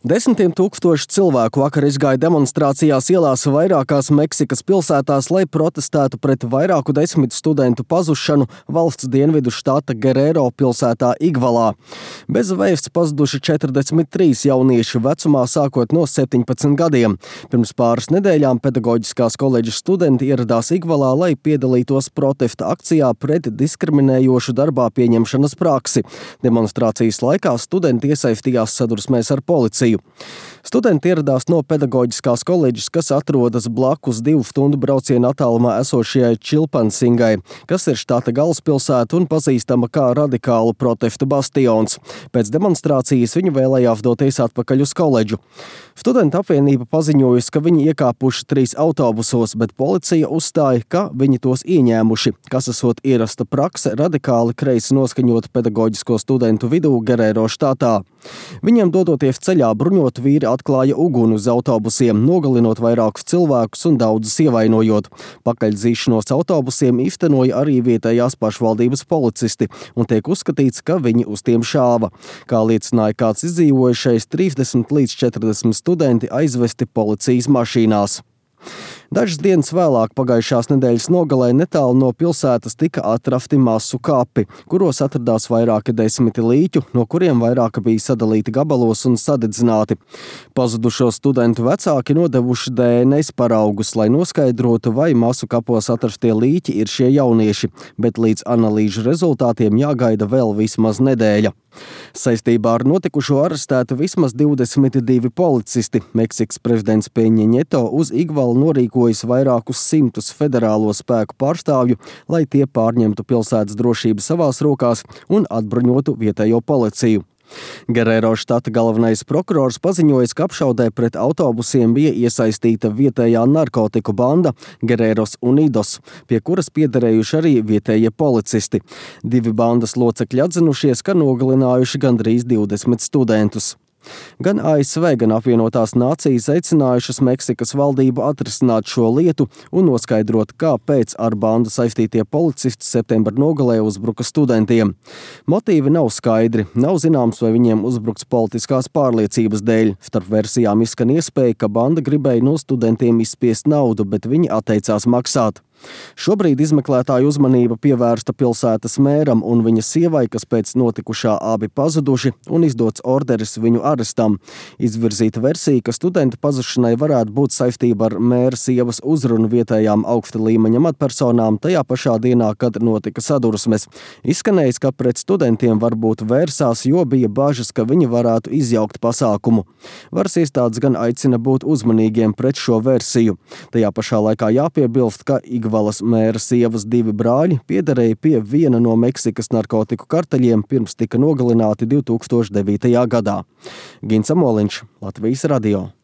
Desmitiem tūkstoši cilvēku vakar izgāja demonstrācijās ielās vairākās Meksikas pilsētās, lai protestētu pret vairāku desmit studentu pazušanu valsts dienvidu štata Guerrero pilsētā Igvalā. Bez vēsts pazuduši 43 jaunieši vecumā sākot no 17 gadiem. Pirms pāris nedēļām pedagoģiskās koledžas studenti ieradās Igvalā, lai piedalītos protesta akcijā pret diskriminējošu darbā pieņemšanas praksi. Demonstrācijas laikā studenti iesaistījās sadursmēs ar policiju. Studenti ieradās no pedagoģiskās koledžas, kas atrodas blakus 2 stundu brauciena attālumā esošajai Čilpansingai, kas ir štata galvaspilsēta un pazīstama kā radikālu protestu bastions. Pēc demonstrācijas viņi vēlējās doties atpakaļ uz koledžu. Studentu apvienība paziņojusi, ka viņi iekāpuši 3 autobusos, bet policija uzstāja, ka viņi tos ieņēmuši, kas esot ierasta prakse radikāli kreisi noskaņot pedagoģisko studentu vidū Guerrero štatā. Viņiem dodoties ceļā, bruņot vīri atklāja uguni uz autobusiem, nogalinot vairākus cilvēkus un daudzus ievainojot. Pakaļdzīšanos autobusiem īstenoja arī vietējās pašvaldības policisti, un tiek uzskatīts, ka viņi uz tiem šāva. Kā liecināja kāds izdzīvojušais, 30 līdz 40 studenti aizvesti policijas mašīnās. Dažas dienas vēlāk pagājušās nedēļas nogalē netālu no pilsētas tika atrasti masu kapi, kuros atradās vairāki desmiti līķu, no kuriem vairāki bija sadalīti gabalos un sadedzināti. Pazudušo studentu vecāki nodevuši DNS paraugus, lai noskaidrotu, vai masu kapos atrastie līķi ir šie jaunieši, bet līdz analīžu rezultātiem jāgaida vēl vismaz nedēļa. Saistībā ar notikušo arestētu vismaz 22 policisti. Meksikas prezidents Peņa Nieto uz Igvalu norīkojas vairākus simtus federālo spēku pārstāvju, lai tie pārņemtu pilsētas drošību savās rokās un atbruņotu vietējo policiju. Guerrero štata galvenais prokurors paziņoja, ka apšaudē pret autobusiem bija iesaistīta vietējā narkotiku banda Guerreros Unidos, pie kuras piederējuši arī vietējie policisti. 2 bandas locekļi atzinušies, ka nogalinājuši gandrīz 20 studentus. Gan ASV, gan apvienotās nācijas aicinājušas Meksikas valdību atrisināt šo lietu un noskaidrot, kāpēc ar bandu saistītie policisti septembra nogalē uzbruka studentiem. Motīvi nav skaidri, nav zināms, vai viņiem uzbrukts politiskās pārliecības dēļ. Starp versijām izskan iespēja, ka banda gribēja no studentiem izspiest naudu, bet viņi atteicās maksāt. Šobrīd izmeklētāju uzmanība pievērsta pilsētas mēram un viņa sievai, kas pēc notikušā abi pazuduši un izdots orderis viņu arestam. Izvirzīta versija, ka studenta pazušanai varētu būt saistība ar mēra sievas uzrunu vietējām augsta līmeņa amatpersonām tajā pašā dienā, kad notika sadursmes. Izskanējis, ka pret studentiem varbūt vērsās, jo bija bažas, ka viņi varētu izjaukt pasākumu. Varas iestādes gan aicina būt uzmanīgiem pret šo versiju. Tajā pašā laikā jāpiebilst, ka Igvalas mēra sievas 2 brāļi piederēja pie viena no Meksikas narkotiku karteļiem, pirms tika nogalināti 2009. gadā. Gins Amoliņš, Latvijas radio.